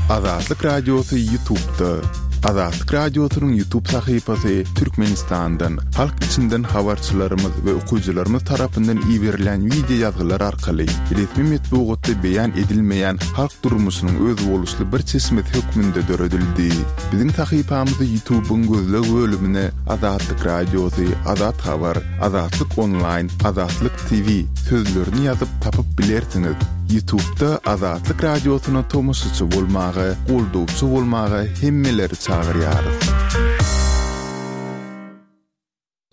Azatlyk Radiosy Ýutubda. Azatlyk Radiosynyň Ýutub sahypasy Türkmenistandan, halk içinden habarçylarymyz we okyjylarymyz tarapyndan iberilýän wideo ýazgylar arkaly resmi metbugatda beýan edilmeýän halk durmuşynyň özboluşly bir çeşmesi hökmünde döredildi. Biziň sahypamyzy Ýutubyň gözleg bölümine Azatlyk Radiosy, Azat Habar, Azatlyk Onlaýn, Azatlyk TV sözlerini ýazyp tapyp bilersiňiz. Ýutubda Azatlyk Radiosyna tomaşaçy bolmaga, goldawçy bolmaga hemmeleri çagyrýarys.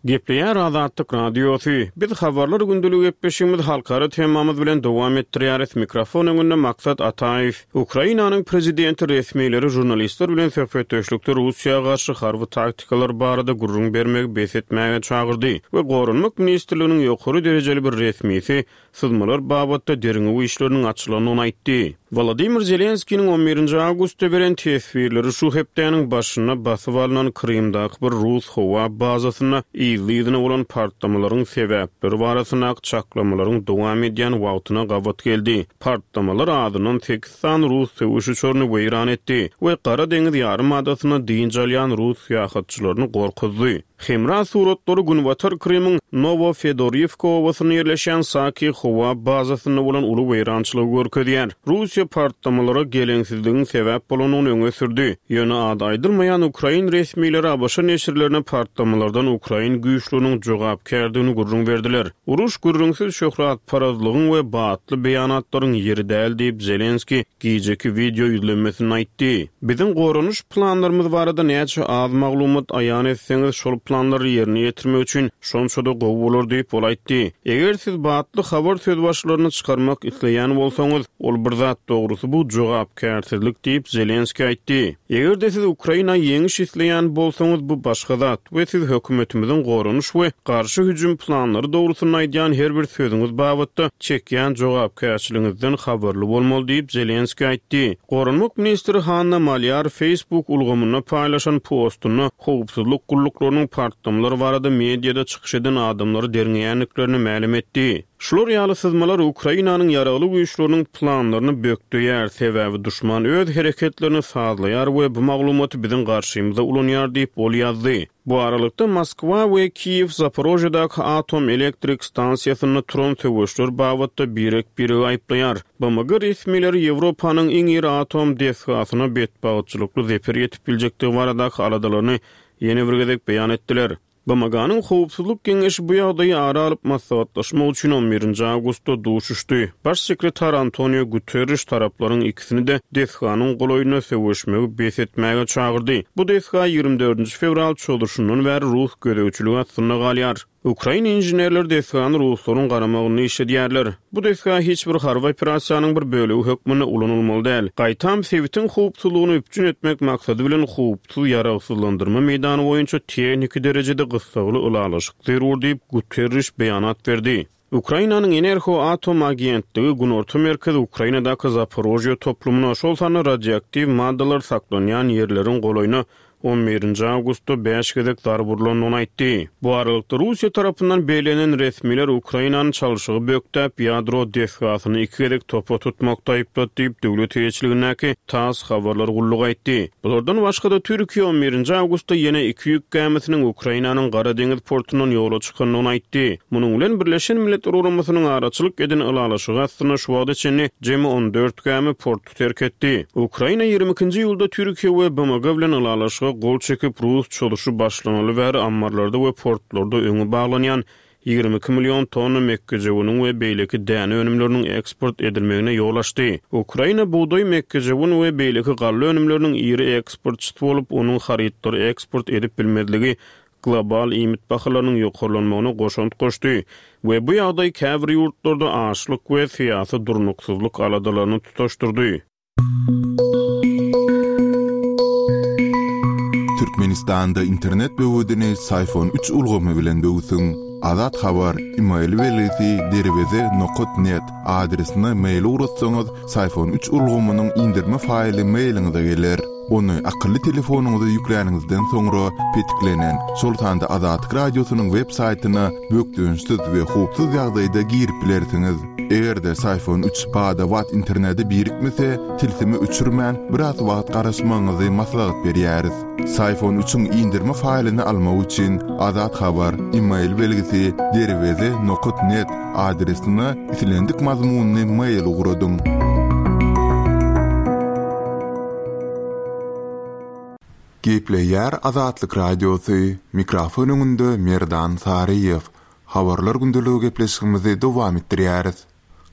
Gepleýär Azatlyk Radiosy. Biz Habarlar gündeligi gepleşigimizi halkara temamyz bilen dowam etdirýäris. Mikrofon öňünde Maksat Ataýew. Ukrainanyň prezidenti resmileri žurnalistler bilen söhbetdeşlikde Russiýa garşy harby taktikalar barada gürrüň bermegi bes etmäge çagyrdy we Goranmak ministrliginiň ýokary derejeli bir resmisi syzmalar babatda derňew işleriniň açylandygyny aýtdy. Wolodymyr Zelenskiniň on birinji awgustda beren teswirleri şu hepdäniň başynda basyp alnan Krymdaky bir rus howa bazasynda yzly-yzyna bolan partlamalaryň sebäpleri barasyndaky çaklamalaryň dowam edýän wagtyna gabat geldi. Partlamalar azyndan sekiz sany rus söweş uçaryny weýran etdi we Gara deňiz ýarym adasynda dynç alýan rus syýahatçylaryny gorkuzdy. Hemra suratlary günbatar Krymyň Nowofedoriwka obasynda ýerleşýän Saki howa bazasynda bolan uly weýrançylygy görkezýär. Russiýa partlamalara geleňsizligiň sebäp bolandygyny öňe sürdi. Ýöne ady aýdylmaýan ukrain resmileri ABŞ neşirlerine partlamalardan ukrain güýçleriniň jogapkärdigini gürrüň berdiler. Uruş gürrüňsiz şöhratparazlygyň we batly beýanatlaryň ýeri däl diýip, Zelenskiý gijeki wideo ýüzlenmesinde aýtdy. Biziň goranyş planlarymyz barada näçe az maglumat aýan etseňiz, şol planlary ýerine ýetirmek üçin şonça-da gowy bolar diýip, ol aýtdy. Eger siz batly habar sözbaşylaryny çykarmak isleýän bolsaňyz, ol bir zat, dogrusy bu jogapkärsizlik diýip, Zelenskiý aýtdy. Eger-de siz Ukraina ýeňiş isleýän bolsaňyz, bu başga zat we siz hökümetimiziň goranyş we garşy hüjüm planlary dogrusynda aýdýan her bir sözüňiz babatda çekýän jogapkärçiligiňizden habarly bolmaly diýip, Zelenskiý aýtdy. Goranmak ministri Hanna Malýar Facebook ulgamynda paýlaşan postunda howpsuzlyk gulluklarynyň partlamalar barada mediada çykyş eden adamlary derňeýändiklerini mälim etdi. Şular ýaly syzmalar Ukrainanyň Ýaragly Güýçleriniň planlaryny bökdeýär, sebäbi duşman öz hereketlerini sazlaýar we bu maglumaty biziň garşymyza ulanýar diýip, ol ýazdy. Bu aralykda, Moskwa we Kiýew Zaporožýedaky atom elektrik stansiýasynda turan söweşler babatda birek-biregi aýyplaýar. BMG resmileri Ýewropanyň iň iri atom desgasyna betbagtçylykly zeper ýetip biljekdigi baradaky aladalaryny ýene bir gezek beýan etdiler. BMG-niň Howpsuzlyk Geňeşi bu ýagdaýy ara alyp maslahatlaşmak üçin on birinji awgustda duşuşdy. Baş sekretar Antonio Guterriş taraplaryň ikisini-de desganyň golaýynda söweşmegi bes etmäge çagyrdy. Bu desga ýigrimi dördünji fewral çozuşyndan bäri rus gözegçiligi astynda galýar. Ukrain inženerleri desgany ruslaryň garamagynda işledýärler. Bu desga hiç bir harby operasiýanyň bir bölegi hökmünde ulanylmaly däl. Gaýtam, sebitiň howpsuzlygyny üpjün etmek maksady bilen howpsuz ýaragsyzlandyrma meýdany boýunça tehniki derejede gyssagly ylalaşyk zerur diýip, Guterriş beýanat berdi. Ukrainanyň Enerhoatom agentligi Günorta merkezi Ukrainadaky Zaporožýe toplumyna, şol sanda radioaktiw maddalar saklanýan ýerleriň golaýyna on birinji awgustda bäş gezek zarba urlandygyny aýtdy. Bu aralykda, Russiýa tarapyndan bellenen resmiler Ukrainany çalşygy bökdäp, ýadro desgasyny iki gezek topa tutmakda aýyplady diýip, döwlet eýeçiligindäki TASS habarlar gullugy aýtdy. Bulardan başga-da, Türkiýe on birinji awgustda ýene iki ýük gämisiniň Ukrainanyň Gara deňiz portundan ýola çykandygyny aýtdy. Munuň bilen, Birleşen Milletler Guramasynyň araçylyk eden ylalaşygy astynda şu wagta çenli jemi on dört gämi porty terk etdi. Ukraina 22-nji iýulda Türkiýe we BMG bilen ylalaşyga gol çekip, rus çozuşy başlanaly bäri ammarlarda we portlarda öňi baglanýan 22 million tonna mekgejöweniň we beýleki däne önümleriniň eksport edilmegine ýol açdy. Ukraina bugdaý, mekgejöwen we beýleki galla önümleriniň iri eksportçysy bolup, onuň harytlary eksport edip bilmezligi global iýmit bahalarynyň ýokarlanmagyna goşant goşdy we bu ýagdaý käbir ýurtlarda açlyk we syýasy durnuksyzlyk aladalaryny tutaşdyrdy. Türkmenistanda internet böwedini Syfon üç ulgamy bilen böwsüň. Azat Habar, email belgisi derweze nokat net adresine mail ugratsaňyz, Syfon üç ulgamynyň indirme faýly mailiňize geler. Ony akylly telefonyňyza ýükläniňizden soňra, petiklenen, şol sanda Azatlyk Radiosynyň web saýtyna bökdençsiz we howpsuz ýagdaýda girip bilersiňiz. Eger-de Syfon üç bada-bat internete birikmese, tilsimi öçürmän, biraz wagt garaşmagyňyzy maslahat berýäris. Syfon üçiň indirme faýlyny almak üçin Azat Habar, email belgisi, derweze nokat net adresine islendik mazmunly mail ugradyň. Gepleýär Azatlyk Radiosy, mikrofon öňünde Merdan Saryýew. Habarlar gündeligi gepleşigimizi dowam etdirýäris.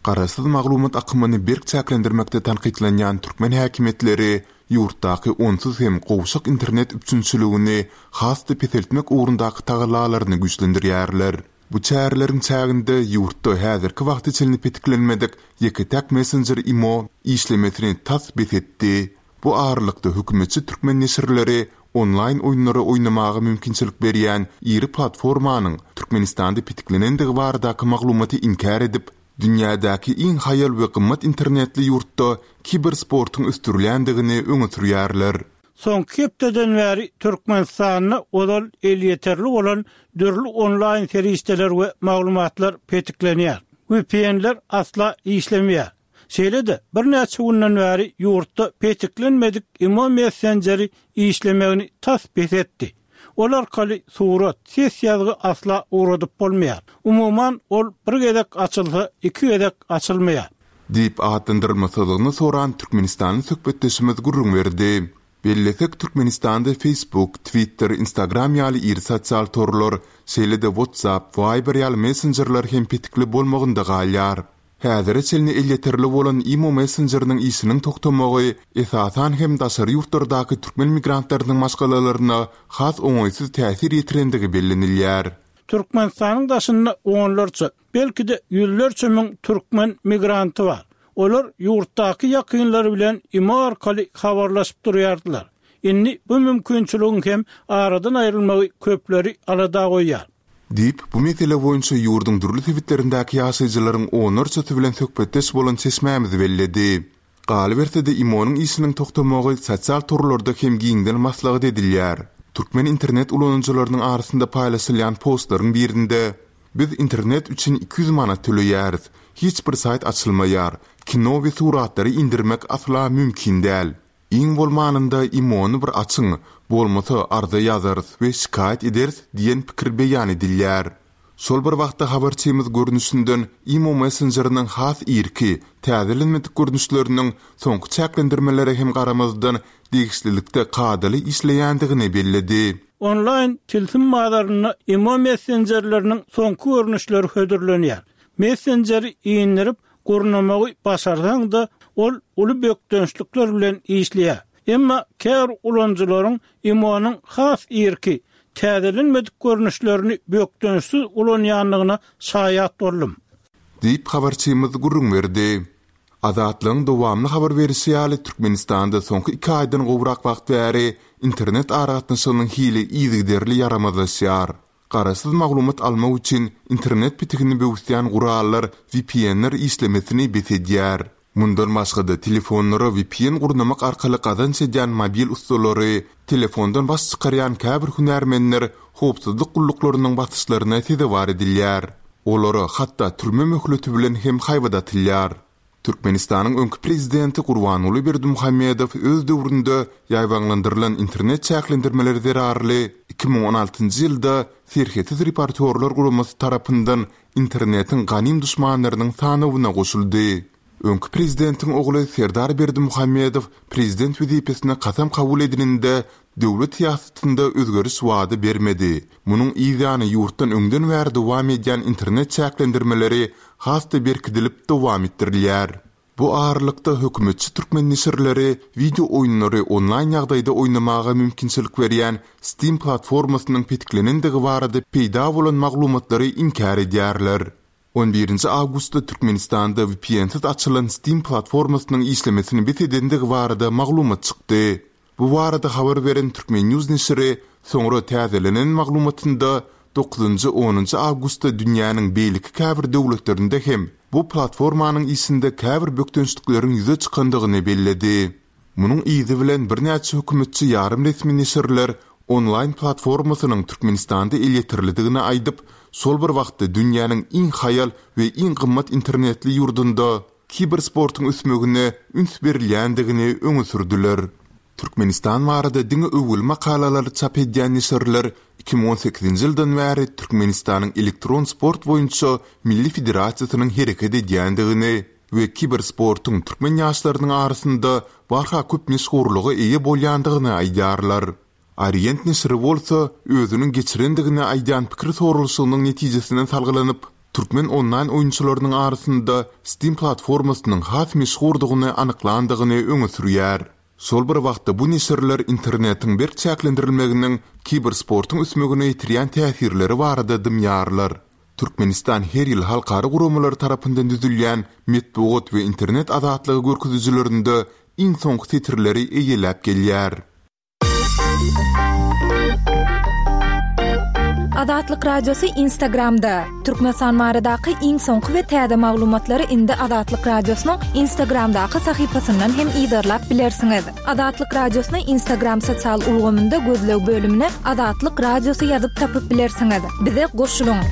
Garaşsyz maglumat akymyny berk çäklendirmekde tankytlanýan türkmen häkimiýetleri ýurtdaky onsuz hem gowşak internet üpjünçiligini has-da peseltmek ugrundaky tagallalaryny güýçlendirýärler. Bu çäreleriň çäginde ýurtda häzirki wagta çenli petiklenmedik ýeke-täk messenjer imo işlemesini tas bes etdi. Bu aralykda hökümetçi türkmen neşirleri onlaýn oýunlary oýnamaga mümkinçilik berýän iri platformanyň Türkmenistanda petiklenendigi baradaky maglumaty inkär edip, dünýädäki iň haýal we gymmat internetli ýurtda kibersportuň ösdürilýändigini öňe sürýärler. Soňky hepdeden bäri Türkmenistanda ozal elýeterli bolan dürli onlaýn serişdeler we maglumatlar petiklenýär. VPN-ler asla işlemeýär. Şeýle-de, birnäçe günden bäri ýurtda petiklenmedik imo messenjeri işlemegini tas bes etdi. Ol arkaly surat, ses ýazgy asla ugradyp bolmaýar. Umuman, ol bir gezek açylsa, iki gezek açylmaýar. Diýip atlandyrylmasyzlygyny soran türkmenistanly söhbetdeşimiz gürrüň berdi. Bellesek, Türkmenistanda Facebook, Twitter, Instagram ýaly iri sosial torlar, şeýle-de WhatsApp, Viber ýaly messenjerler hem petikli bolmagynda galýar. Häzire çenli elýeterli bolan imo messenjeriniň işiniň togtamagy, esasan hem daşary ýurtlardaky türkmen migrantlarynyň maşgalalaryna has oňaýsyz täsir ýetirendigi bellenilýär. Türkmenistanyň daşynda onlarça, belki-de ýüzlerçe müň türkmen migranty bar. Olar ýurtdaky ýakynlary bilen imo arkaly habarlaşyp durýardylar. Indi bu mümkinçiligiň hem aradan aýrylmagy köpleri alada goýýar. Diýip, bu mesele boýunça ýurduň dürli sebitlerindäki ýaşaýjylaryň onlarçasy bilen söhbetdeş bolan çeşmämiz belledi. Galyberse-de, IMO-nyň işiniň togtamagy sosial torlarda hem giňden maslahat edilýär. Türkmen internet ulanyjylarynyň arasynda paýlaşylýan postlaryň birinde, Biz internet üçin 200 manat töleýäris. Hiç bir saýt açylmaýar. Kino we suratlary indirmek asla mümkin däl. Iň bolmanynda IMO-ny bir açyň, bolmasa arza ýazarys we şikaýat ederis diýen pikir beýan edilýär. Şol bir wagtda habarçymyz görnüşinden IMO messenjeriniň has irki, täzelenmedik görnüşleriniň soňky çäklendirmelere hem garamazdan degişlilikde kadaly işleýändigini belledi. Onlaýn tilsim bazarynda IMO messenjerleriniň soňky görnüşleri hödürlenýär. Messenjeri indirip, Gurnamagy başarsaň-da, ol uly bökdençlikler bilen işleýär. Emma käbir ulanyjylaryň IMO-nyň has irki, täzelenmedik görnüşlerini bökdençsiz ulanýandygyna şaýat boldum. Diýip, habarçymyz gürrüň berdi. Azatlygyň dowamly habar berişi ýaly, Türkmenistanda soňky iki aýdan gowrak wagt bäri internet aragatnaşygynyň hili yzygiderli ýaramazlaşýar. Garaşsyz maglumat almak üçin internet pitigini böwüsýän gurallar VPN-ler işlemesini bes edýär. Mundan başga-da, telefonlara VPN gurnamak arkaly gazanç edýän mobil ussalary, telefondan baş çykarýan käbir hünärmenler howpsuzlyk gulluklarynyň basyşlaryna sezewar edilýär. Olara hatda türme möhleti bilen hem haýbat atylýar. Türkmenistanyň öňki prezidenti Gurbanguly Berdimuhamedow öz döwründe ýaýbaňlandyrylan internet çäklendirmeleri zerarly 2016-njy ýylda Serhetsiz reportýorlar guramasy tarapyndan internetiň ganym duşmanlarynyň sanawyna goşuldy. Öňki prezidentiň ogly Serdar Berdimuhamedow prezident wezipesine kasam kabul edininde döwlet syýasatynda özgeriş wada bermedi. Munuň yzýany ýurtdan öňden bäri dowam edýän internet çäklendirmeleri has-da berkidilip dowam etdirilýär. Bu aralykda hökümetçi türkmen neşirleri wideo oýunlary onlaýn ýagdaýda oýnamaga mümkinçilik berýän Steam platformasynyň petiklenendigi barada peýda bolan maglumatlary inkär edýärler. On birinji awgustda Türkmenistanda VPN-siz açylan Steam platformasynyň işlemesini bes edendigi barada maglumat çykdy. Bu barada habar beren Turkmen. News neşiri soňra täzelenen maglumatynda dokuzynjy, onunjy awgustda dünýäniň beýleki käbir döwletlerinde hem bu platformanyň işinde käbir bökdençlikleriň ýüze çykandygyny belledi. Munuň yzy bilen birnäçe hökümetçi ýarym resmi neşirler onlaýn platformasynyň Türkmenistanda elýeterlidigini aýdyp, şol bir wagtda dünýäniň iň haýal we iň gymmat internetli ýurdunda kibersportuň ösmegine üns berilýändigini öňe sürdüler. Türkmenistan barada diňe öwgüli makalalary çap edýän neşirler 2018-nji ýyldan bäri Türkmenistanyň elektron sport boýunça Milli federasiýasynyň hereket edýändigini we kibersportuň türkmen ýaşlarynyň arasynda barha köp meşhurlyga eýe bolýandygyny aýdýarlar. Orient neşiri bolsa, özüniň geçirendigini aýdýan pikir soralyşygynyň netijesine salgylanyp, türkmen onlaýn oýunçylarynyň arasynda Steam platformasynyň has meşhurdygyny anyklandygyny öňe sürýär. Şol bir wagtda bu neşirler internetiň berk çäklendirilmeginiň kibersportuň ösmegine ýetirýän täsirleri barada dymýarlar. Türkmenistan her ýyl halkara guramalary tarapyndan düzülýän metbugat we internet azatlygy görkezijilerinde iň soňky setirleri eýeläp gelýär. Azatlyk Radiosy Instagramda, Türkmenistan baradaky iň soňky we täze maglumatlary indi Azatlyk Radiosynyň Instagramdaky sahypasyndan hem yzarlap bilersiňiz. Azatlyk Radiosyny Instagram sosial ulgamynda gözleg bölümine Azatlyk Radiosy ýazyp tapyp bilersiňiz. Bize goşulyň!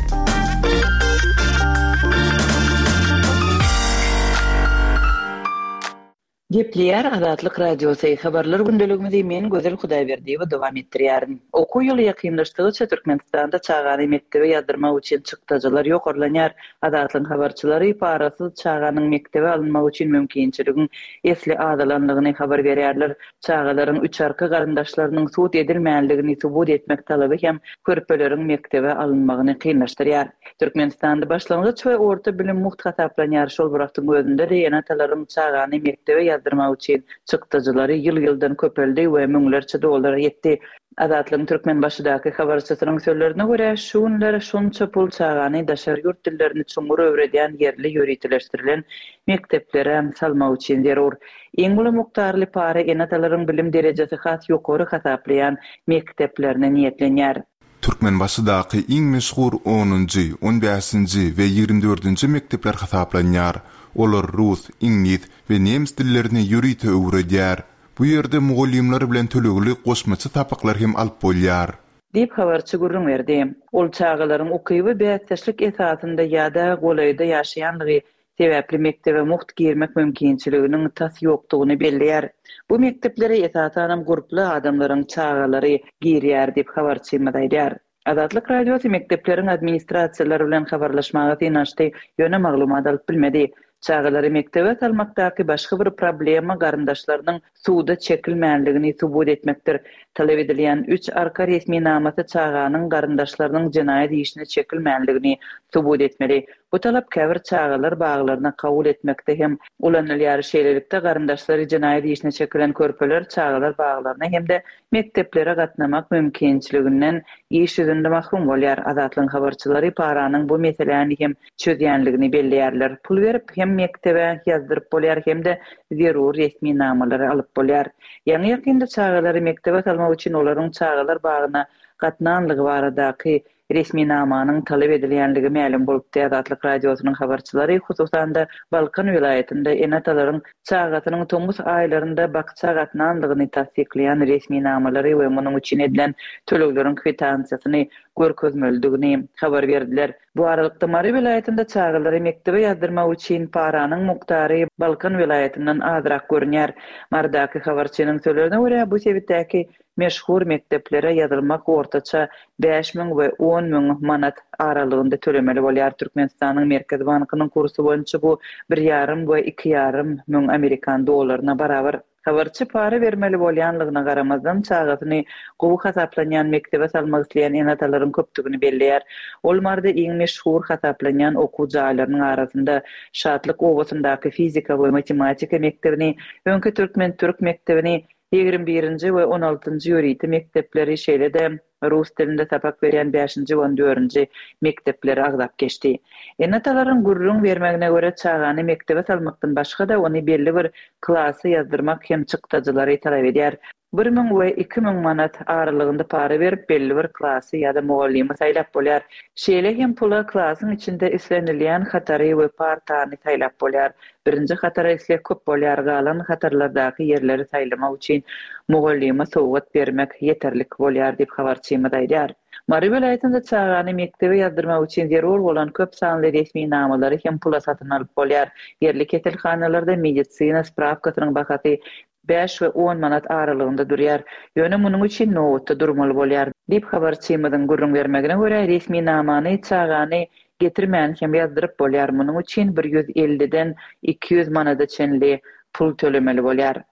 Gepleýär Azatlyk Radiosy, Habarlar gündeligimizi men Gözel Hudaýberdiýewa dowam etdirýärin. Okuw ýyly ýakynlaşdygyça Türkmenistanda çagany mekdebe ýazdyrmak üçin çykdajylar ýokarlanýar. Azatlygyň habarçylary parasyz çaganyň mekdebe alynmagy üçin mümkinçiligiň esli azalanlygyny habar berýärler. Çagalaryň üçarka garyndaşlarynyň sud edilmänligini subut etmek talaby hem körpeleriň mekdebe alynmagyny kynlaşdyrýar. Türkmenistanda başlangyç we orta bilim mugt hasaplanýar, şol bir wagtyň özünde-de ene-atalaryň çagany mekdebe ýazdyrmak üçin çykdajylary ýyl-ýyldan köpeldi we müňlerçe dollara ýetdi. Azatlygyň Türkmenbaşydaky habarçysynyň sözlerine görä, şu günler şonça pul çagany daşary ýurt dillerini çuňňur öwredýän ýerli ýöriteleşdirilen mekdeplere salmak üçin zerur. Iň uly mukdarly para ene-atalaryň bilim derejesi has ýokary hasaplaýan mekdeplerine niýetlenýär. Türkmenbaşydaky iň meşhur onunjy, on bäşinji we 24-nji mekdepler hasaplanýar. Olar rus, iňlis we nemes dillerini ýörite öwredýär. Bu ýerde mugallymlar bilen tölegli goşmaça sapaklar hem alyp bolýar. Diýip, habarçy gürrüň berdi. Ol çagalaryň ukyby bäsdeşlik esasynda ýa-da golaýda ýaşaýanlygy sebäpli mekdebe mugt girmek mümkinçiliginiň tas ýokdugyny belleýär. Bu mekdeplere esasanam gurply adamlaryň çagalary girýär diýip, habarçymyz aýdýar. Azatlyk Radiosy mekdepleriň administrasiýalary bilen habarlaşmaga synanyşdy, ýöne maglumat alyp bilmedi. Çagalary mekdebe salmakdaky başga bir problema garyndaşlarynyň suda çekilmänligini subut etmekdir. Talap edilýän üç arka resminamasy çaganyň garyndaşlarynyň jenaýat işine çekilmänligini subut etmeli. Bu talap käbir çagalar baglaryna kabul etmekde hem ulanylýar. Şeýlelikde, garyndaşlary jenaýat işine çekilen körpeler çagalar baglaryna hem-de mekdeplere gatnamak mümkinçiliginden iş ýüzünde mahrum bolýar. Azatlygyň habarçylary paranyň bu meseläni hem çözýänligini belleýärler. Pul berip hem mekdebe ýazdyryp bolýar hem-de zerur resminamalary alyp bolýar. Ýaňy-ýakynda çagalary mekdebe salmak üçin olaryň çagalar bagyna gatnanlygy baradaky resminamanyň talap edilýänligi mälim bolupdy. Azatlyk Radiosynyň habarçylary, hususan-da, Balkan welaýatynda ene-atalaryň çagasynyň tomus aýlarynda bakja gatnanlygyny tassyklaýan resminamalary we munuň üçin edilen tölegleriň kwitansiýasyny görkezmelidigini habar berdiler. Bu aralykda, Mary welaýatynda çagalary mekdebe ýazdyrmak üçin paranyň mukdary Balkan welaýatyndan azrak görünýär. Marydaky habarçynyň sözlerine görä, bu sebitdäki Meşhur mekdeplere ýazylmak ortaça 5000 we 10 000 manat aralygynda tölemeli bolýar. Türkmenistanyň Merkezi bankynyň kursy boýunça bu bir ýarym we iki ýarym müň amerikan dollaryna barabar. Habarçy para bermeli bolýanlygyna garamazdan, çagasyny gowy hasaplanýan mekdebe salmak isleýän ene-atalaryň köpdügini belleýär. Ol Maryda iň meşhur hasaplanýan okuw jaýlarynyň arasynda Şatlyk obasyndaky fizika we matematika mekdebini, öňki türkmen-türk mekdebini, 21-nji we 16-njy ýörite mekdepleri, şeýle-de rus dilinde sapak berýän bäşinji we on dördünji mekdepleri agzap geçdi. Ene-atalaryň gürrüň bermegine görä, çagany mekdebe salmakdan başga-da, ony belli bir klasa ýazdyrmak hem çykdajylary talap edýär. 1000 we 2000 manat aralygynda para berip, belli bir klasy ýa-da mugallymy saýlap bolýar. Şeýle hem pula klasyň içinde islenilýän hatary we partany saýlap bolýar. Birinji hatara isleg köp bolýar, galan hatarlardaky ýerleri saýlamak üçin mugallyma sowgat bermek ýeterlik bolýar diýip, habarçymyz aýdýar. Mary welaýatynda çagany mekdebe ýazdyrmak üçin zerur bolan köp sanly resminamalary hem pula satyn alyp bolýar. Ýerli keselhanalarda medisina sprawkasynyň bahasy bäş we on manat aralygynda durýar. Ýöne munuň üçin nobatda durmaly bolýar. Diýip, habarçymyzyň gürrüň bermegine görä, resminamany çagany getirmän hem ýazdyryp bolýar, munuň üçin bir 150-den 200 manada çenli pul tölemeli bolýar.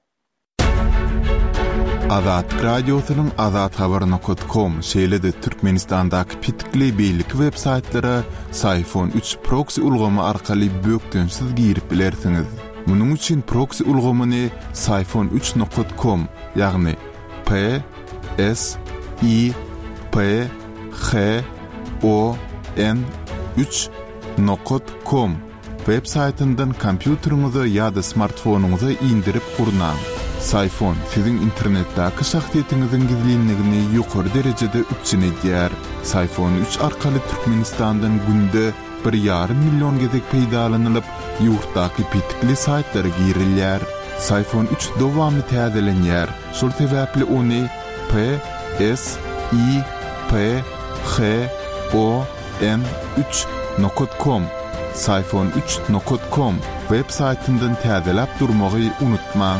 Azatlyk Radiosynyň azathabar nokat kom, şeýle-de Türkmenistandaky petikli beýleki web saýtlara Syfon üç proksi ulgamy arkaly bökdençsiz girip bilersiňiz. Munuň üçin proksi ulgamyny Syfon üç nokat kom, ýagny P S I P H O N üç nokat kom web saýtyndan kompýuteriňize ýa-da smartfonyňyza indirip gurnaň. Syfon siziň internetdäki şahsyýetiňiziň gizlinligini ýokary derejede üpjün edýär. Syfon üç arkaly Türkmenistandan günde bir ýarym million gezek peýdalanylyp, ýurtdaky petikli saýtlara girilýär. Syfon üç dowamly täzelenýär, şol sebäpli ony P S I P H O N üç nokat kom, Syfon üç nokat kom, web saýtyndan täzeläp durmagy unutmaň.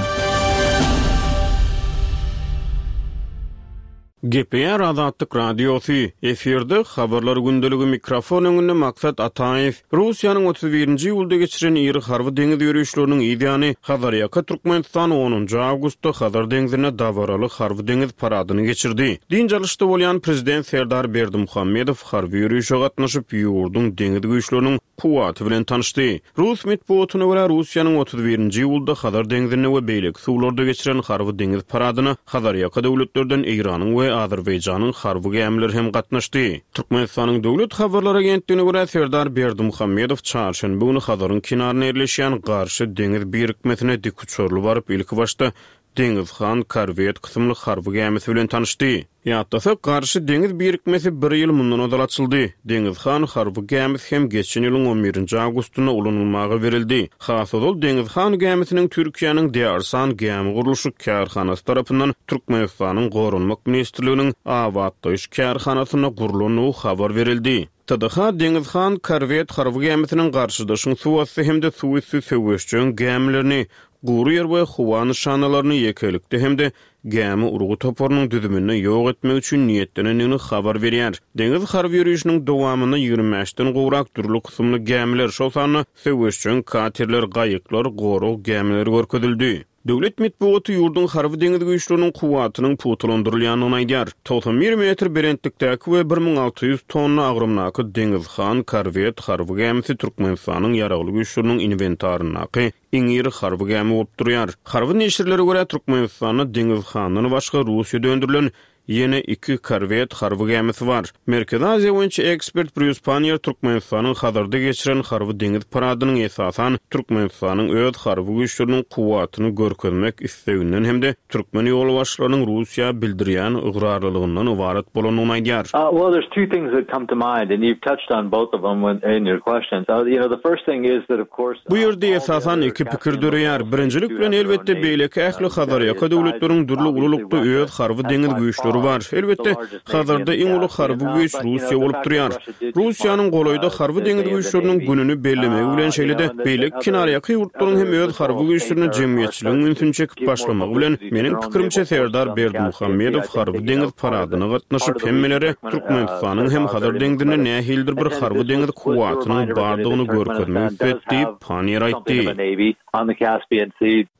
Gepleýär Azatlyk Radiosy, efirde Habarlar gündeligi mikrofon öňünde Maksat Ataýew. Russiýanyň 31-nji iýulda geçiren iri harby deňiz ýörişleriniň yz ýany, Hazarýaka Türkmenistan onunjy awgustda Hazar deňzinde dabaraly harby-deňiz paradyny geçirdi. Dynç alyşda bolýan Prezident Serdar Berdimuhamedow harby ýörişe gatnaşyp, ýurduň deňiz güýçleriniň kuwwaty bilen tanyşdy. Rus metbugatyna görä, Russiýanyň 31-nji iýulda Hazar deňzinde we beýleki suwlarda geçiren harby-deňiz paradyna Hazarýaka döwletlerden Eýranyň we Azerbaýjanyň harby gämileri hem gatnaşdy. Türkmenistanyň Döwlet habarlar agentligine görä, Serdar Berdimuhamedow çarşenbe güni Hazaryň kenarynda ýerleşýän Garşy deňiz birikmesine dikuçarly baryp, ilkibaşda Deňiz han korwet kysymly harby gämisi bilen tanyşdy. Ýatlasak, Garşy deňiz birikmesi bir ýyl mundan ozal açyldy. Deňiz han harby gämisi hem geçen ýylyň on birinji awgustynda ulanylmaga berildi. Has ozal Deňiz han gämisiniň Türkiýäniň Dearsan gämi gurluşyk kärhanasy tarapyndan Türkmenistanyň Goranmak ministrliginiň abatlaýyş kärhanasynda gurlandygy habar berildi. TDH Deňiz han korwet harby gämisiniň garşydaşyň suwasty hem-de suwüsti söweşjeň gämilerini, gury ýer we howa nyşanalaryny ýekelikde hem-de gämi urgy toparynyň düzüminde ýok etmek üçin niýetlenendigini habar berýär. Deňiz harby ýörişiniň dowamynda 25-den gowrak dürli kysymly gämiler, şol sanda söweşjeň katerler, gaýyklar, gorag gämileri görkezildi. Döwlet metbugaty ýurduň harby-deňiz güýçleriniň kuwwatynyň pugtalandyrylýandygyny aýdýar. 91 metr belentlikdäki we 1600 tonna agramdaky Deňiz han korwet harby gämisi Türkmenistanyň Ýaragly Güýçleriniň inwentaryndaky iň iri harby gämi bolup durýar. Harby neşirlere görä, Türkmenistanda Deňiz handan başga Russiýada öndürilen Ýene iki korwet harby gämisi bar. Merkezi Aziýa boýunça ekspert Brýus Panniýer Türkmenistanyň Hazarda geçiren harby-deňiz paradynyň esasan Türkmenistanyň öz harby güýçleriniň kuwwatyny görkezmek isleginden hem-de türkmen ýolbaşçylarynyň Russiýa bildirýän ygrarlylygyndan ybarat bolandygyny aýdýar. Well, there's two things that come to mind, and you've touched on both of them in your questions. You know, the first thing is that, of course, Bu ýerde esasan iki pikir döreýär. Birinjilik bilen, elbetde, beýleki ähli Hazarýaka döwletleriň dürli ululykda öz harby-deňiz güýçleri bar. Elbetde, Hazarda iň uly harby güýç Russiýa bolup durýar. Russiýanyň golaýda harby-deňiz güýçleriniň gününi bellemegi bilen, şeýle-de beýleki kenarýaka ýurtlaryň hem öz harby güýçlerine jemgyýetçiligiň ünsüni çekip başlamagy bilen, meniň pikirimçe, Serdar Berdimuhamedow harby-deňiz paradyna gatnaşyp, hemmelere Türkmenistanyň hem Hazar deňzinde nähilidir bir harby-deňiz kuwwatynyň bardygyny görkezmek isledi diýip, Panniýer aýtdy.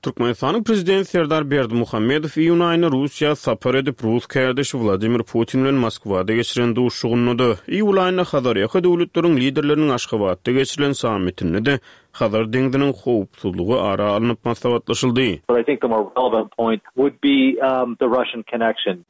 Türkmenistanyň Prezidenti Serdar Berdimuhamedow iýun aýynda Russiýa sapar edip, rus kärdeşi Wladimir Putin bilen Moskwada geçiren duşuşygynda-da, iýul aýynda Hazarýaka döwletleriň liderleriniň Aşgabatda geçirilen sammitinde-de Hazar deňziniň howpsuzlygy ara alnyp maslahatlaşyldy.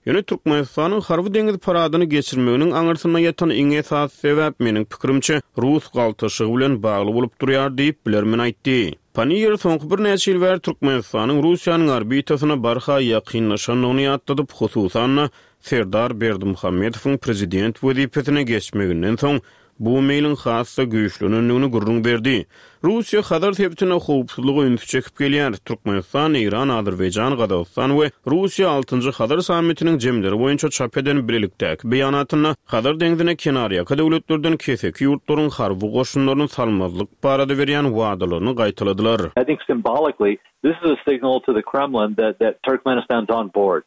Ýöne Türkmenistanyň harby-deňiz paradyny geçirmeginiň aňyrsynda ýatan iň esasy sebäp, meniň pikirimçe, rus galtaşygy bilen bagly bolup durýar diýip, bilermen aýtdy. Panniýer soňky birnäçe ýyl bäri Türkmenistanyň Russiýanyň orbitasyna barha ýakynlaşandygyny ýatladyp, hususan-da, Serdar Berdimuhamedowyň prezident wezipesine geçmeginden soň bu meýliň has-da güýçlenendigini gürrüň berdi. Russiýa Hazar sebitinde howpsuzlyga ünsi çekip gelýär. Türkmenistan, Eýran, Azerbaýjan, Gazagystan we Russiýa altynjy Hazar sammitiniň jemleri boýunça çap eden bilelikdäki beýanatynda Hazar deňzine kenarýaka döwletlerden keseki ýurtlaryň harby goşunlaryny salmazlyk barada berýän wadalaryny gaýtaladylar. I think symbolically this is a signal to the Kremlin that that Turkmenistan's on board.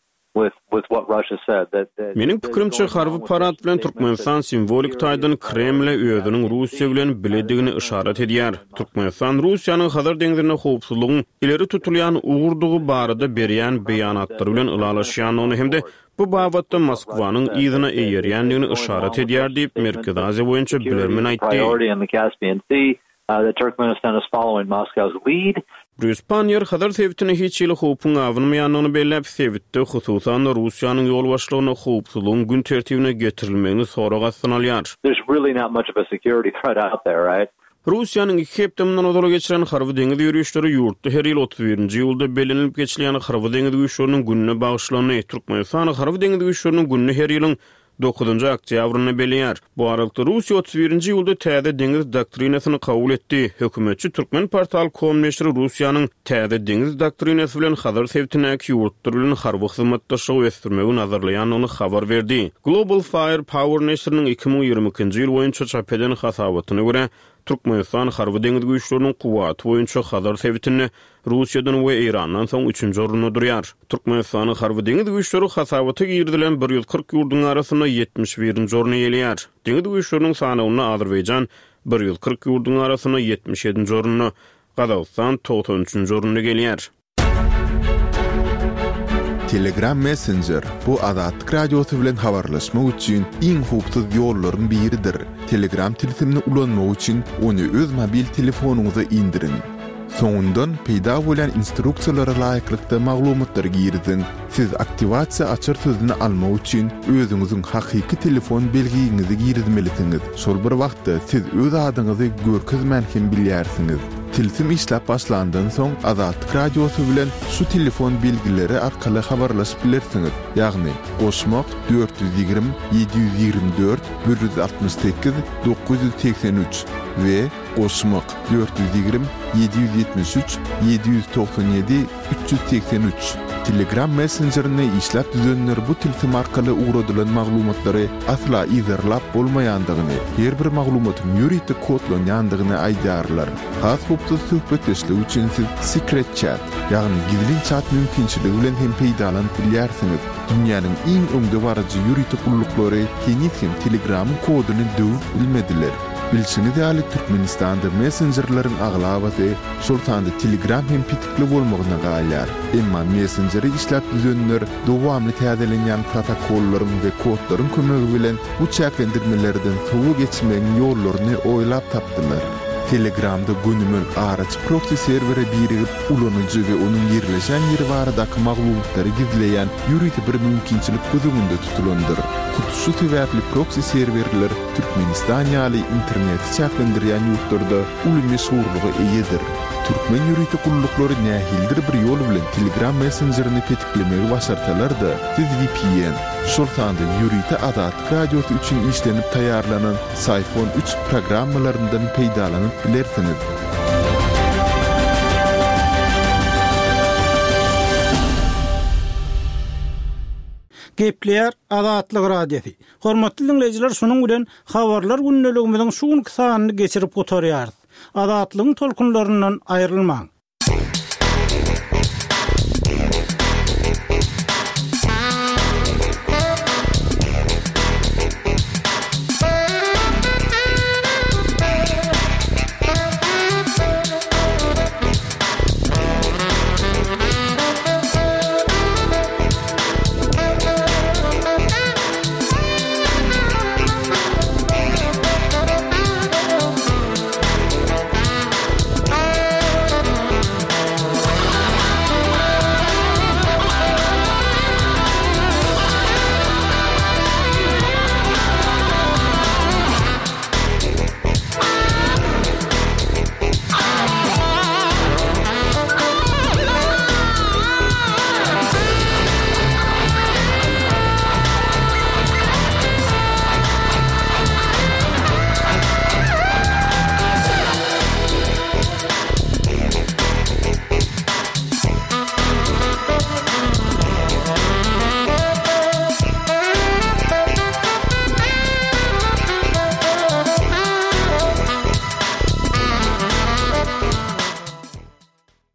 Meniň pikirimçe, harby parad bilen Türkmenistan simwolik taýdan Kremle özüniň Russiýa bilen biledigini yşarat edýär. Türkmenistan Russiýanyň Hazar deňzinde howpsuzlygyň ileri tutulýan ugurdygy barada berýän beýanatlary bilen ylalaşýandygyny hem-de bu babatda Moskwanyň yzyna eýerýändigini yşarat edýär diýip, Merkezi Aziýa boýunça bilermen aýtdy. That Turkmenistan is following Moscow's lead. Brýus Panniýer Hazar sebitine hiç hili howpuň abanmaýandygyny belläp, sebitde, hususan-da, Russiýanyň ýolbaşçylygynda howpsuzlygyň gün tertibine getirilmegini sorag astyna alýar. There's really not much of a security threat out there, right? Russiýanyň iki hepde mundan ozal geçiren harby-deňiz ýörişleri ýurtda her ýyl 31-nji iýulda bellenilip geçilýän Harby-deňiz güýçleriniň gününe bagyşlandy. Türkmenistan Harby-deňiz güýçleriniň gününi her ýylyň Dokuzynjy oktýabrynda belleýär. Bu aralykda Russiýa 31-nji iýulda täze deňiz doktrinasyny kabul etdi. Hökümetçi Turkmenportal. Com neşiri Russiýanyň täze deňiz doktrinasy bilen Hazar sebitindäki ýurtlar bilen harby hyzmatdaşlygy ösdürmegi nazarlaýandygyny habar berdi. Global Fire Power neşiriniň 2022-nji ýyl boýunça çap eden hasabatyna görä, Türkmenistan harby-deňiz güýçleriniň kuwwaty boýunça Hazar sebitinde Russiýadan we Eýrandan soň üçünji orunda durýar. Türkmenistanyň harby-deňiz güýçleri hasabata girizilen 140 ýurduň arasynda 71-nji orny eýeleýär. Deňiz güýçleriniň sanawynda Azerbaýjan 140 ýurduň arasynda 77-nji orunda, Gazagystan 93-nji orunda gelýär. Telegram Messenger, bu Azatlyk Radiosy bilen habarlaşmak üçin iň howpsuz ýollaryň biridir. Telegram tilsimini ulanmak üçin ony öz mobil telefonyňyza indiriň. Soňundan peýda bolýan instruksiýalara laýyklykda maglumatlary giriziň. Siz aktiwasiýa açar sözüni almak üçin özüňiziň hakyky telefon belgiňizi girizmelisiňiz. Şol bir wagtda siz öz adyňyzy görkezmän hem bilýärsiňiz. Tilsim işläp başlandan soň Azatlyk Radiosy bilen şu telefon belgileri arkaly habarlaşyp bilersiňiz, ýagny, goşmak, 420 724 168 983 we Goşmak, 420 773 797 383. Telegram messenjerini işläp düzenler bu tilsim arkaly ugradylan maglumatlary asla yzarlap bolmaýandygyny, her bir maglumatyň ýörite kodlanýandygyny aýdýarlar. Has howpsuz söhbetdeşlik üçin siz Secret Chat, ýagny gizlin çat mümkinçiligi bilen hem peýdalanyp bilýärsiňiz. Dünýäniň iň öňdebaryjy ýörite gulluklary heniz hem Telegramyň koduny döwüp bilmediler. Bilşiňiz ýaly, Türkmenistanda messenjerleriň aglabasy, şol sanda Telegram hem petikli bolmagyna galýar. Emma messenjeri işläp düzenler dowamly täzelenýän protokollaryň we kodlaryň kömegi bilen bu çäklendirmelerden sowa geçmegiň ýollaryny oýlap tapdylar. Telegramda gönümel araçy proksi serwere birigip, ulanyjy we onuň ýerleşen ýeri baradaky maglumatlary gizleýän ýörite bir mümkinçilik göz öňünde tutulandyr. Hut şu sebäpli proksi serwerler Türkmenistan ýaly interneti çäklendirýän ýurtlarda uly meşhurlyga eýedir. Türkmen ýörite gulluklary nähilidir bir ýol bilen Telegram messenjerini petiklemegi başarsalar-da, siz vpn, şol sanda ýörite Azatlyk Radiosy üçin işlenip taýýarlanan Syphon üç programmalaryndan peýdalanyp bilersiňiz. Gepleýär Azatlyk Radiosy. Hormatly diňleýjiler şunuň bilen Habarlar gündeligimiziň şu günki sanyny geçirip gutarýarys. Azatlygyň tolkunlaryndan aýrylmaň!